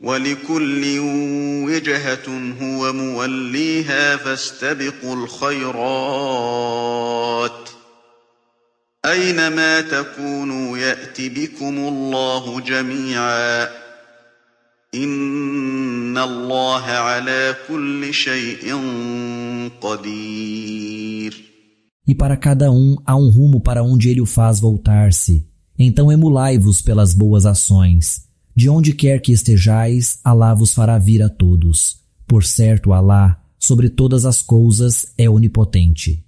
وَلِكُلٍّ وِجْهَةٌ هُوَ مُوَلِّيهَا فَاسْتَبِقُوا الْخَيْرَاتِ أَيْنَمَا تَكُونُوا يَأْتِ بِكُمُ اللَّهُ جَمِيعًا إِنَّ اللَّهَ عَلَى كُلِّ شَيْءٍ قَدِيرٌ. E para cada um há um rumo para onde ele o faz voltar-se. Então emulai-vos pelas boas ações. De onde quer que estejais, Alá vos fará vir a todos. Por certo, Alá, sobre todas as coisas, é onipotente.